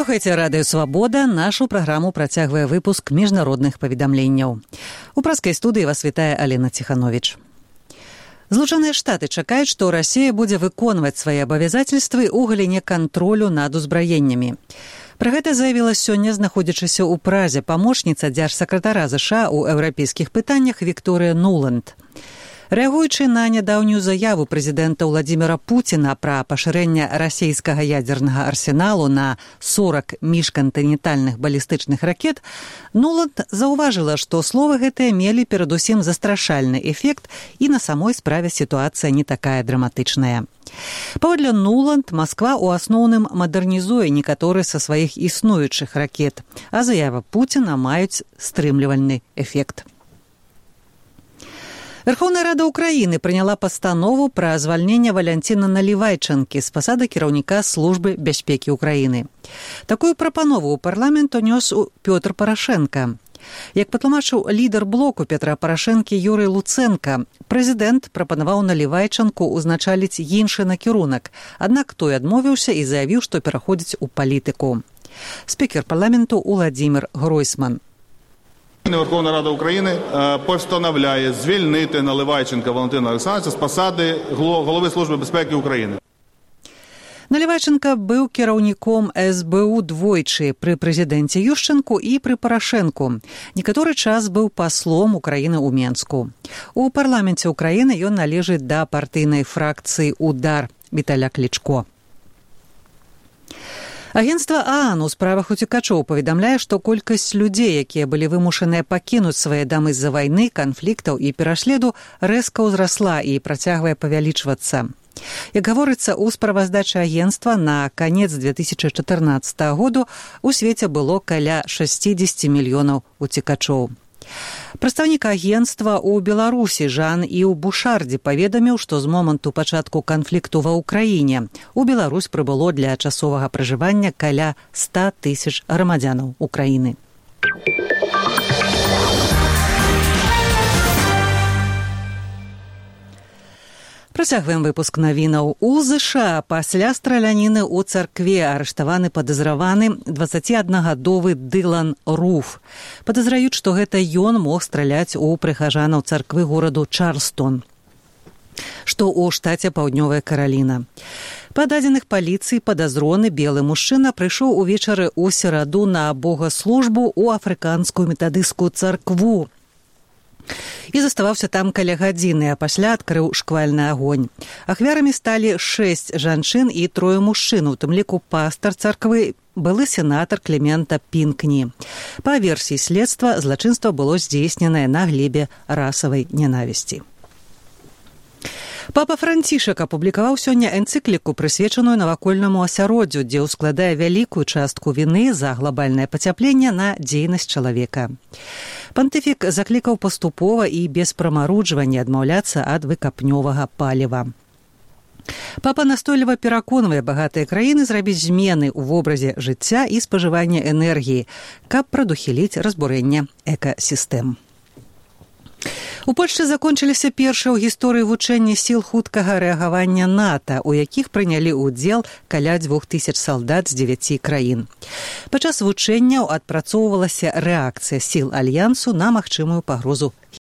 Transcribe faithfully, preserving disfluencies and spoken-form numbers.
Слухайце радыё «Свабода». Нашу праграму працягвае выпуск міжнародных паведамленняў. У праскай студыі вас вітае Алена Ціхановіч. Злучаныя Штаты чакаюць, што Расія будзе выконваць свае абавязацельствы ў галіне кантролю над узбраеннямі. Пра гэта заявіла сёння, знаходзячыся ў Празе, памочніца дзяржсакратара ЗША ў еўрапейскіх пытаннях Вікторыя Нуланд. Рэагуючы на нядаўнюю заяву прэзідэнта Владзіміра Пуціна пра пашырэнне расійскага ядзернага арсеналу на сорак міжкантынентальных балістычных ракет, Нуланд заўважыла, што словы гэтыя мелі перадусім застрашальны эфект і на самой справе сітуацыя не такая драматычная. Паводле Нуланд, Масква ў асноўным мадэрнізуе некаторыя са сваіх існуючых ракет, а заява Пуціна маюць стрымлівальны эфект. Верховная Рада Украіны прыняла пастанову пра звальненне Валянціна Налівайчанкі з пасады кіраўніка Службы бяспекі Украіны. Такую прапанову ў парламент унёс Пётр Парашенка. Як патлумачыў лідар блоку Петра Парашэнкі Юрый Луцэнка, прэзідэнт прапанаваў Налівайчанку ўзначаліць іншы накірунак, аднак той адмовіўся і заявіў, што пераходзіць у палітыку. Спікер парламенту Уладзімір Гройсман. Верховна Рада України постановляє звільнити Наливайченка Валентина Олександровича з посади голови Служби безпеки України. Налівайченка быў кіраўніком эс бэ у двойчы пры прэзідэнце Ющэнку і пры Парашэнку. Некаторы час быў паслом Украіны ў Менску. У парламенце Украіны ён належыць да партыйнай фракцыі «Удар» Віталя Клічко. Агенцтва ААН у справах уцекачоў паведамляе, што колькасць людзей, якія былі вымушаныя пакінуць свае дамы з-за вайны, канфліктаў і пераследу, рэзка ўзрасла і працягвае павялічвацца. Як гаворыцца ў справаздачы агенцтва, на канец две тысячы чатырнаццатага году у свеце было каля шэсцьдзесят мільёнаў уцекачоў. Прадстаўнік агенцтва ў Беларусі Жан Іў Бушардзе паведаміў, што з моманту пачатку канфлікту ва ўкраіне у Беларусь прыбыло для часовага пражывання каля ста тысяч грамадзянаў Украіны. Працягваем выпуск навінаў. У ЗША пасля страляніны ў царкве арыштаваны падазраваны дваццаціаднагадовы Дылан Руф. Падазраюць, што гэта ён мог страляць у прыхажанаў царквы гораду Чарлстон, што ў штаце Паўднёвая Караліна. Па дадзеных паліцыі падазроны белы мужчына прыйшоў увечары ў сераду на богаслужбу ў афрыканскую метадысцкую царкву і заставаўся там каля гадзіны, а пасля адкрыў шквальны агонь. Ахвярамі сталі шэсць жанчын і трое мужчын, у тым ліку пастар царквы, былы сенатар Клемента Пінкні. Па версіі следства, злачынства было здзейсненае на глебе расавай нянавісці. Папа Францішак апублікаваў сёння энцыкліку, прысвечаную навакольнаму асяроддзю, дзе ўскладае вялікую частку віны за глобальнае пацяпленне на дзейнасць чалавека. Пантыфік заклікаў паступова і без прамаруджвання адмаўляцца ад выкапнёвага паліва. Папа настойліва пераконвае багатыя краіны зрабіць змены ў вобразе жыцця і спажывання энергіі, каб прадухіліць разбурэнне экасістэм. У Польшчы закончыліся першыя ў гісторыі вучэнні сіл хуткага рэагавання НАТО, у якіх прынялі ўдзел каля дзвюх тысяч салдат з дзевяці краін. Падчас вучэнняў адпрацоўвалася рэакцыя сіл альянсу на магчымую пагрозу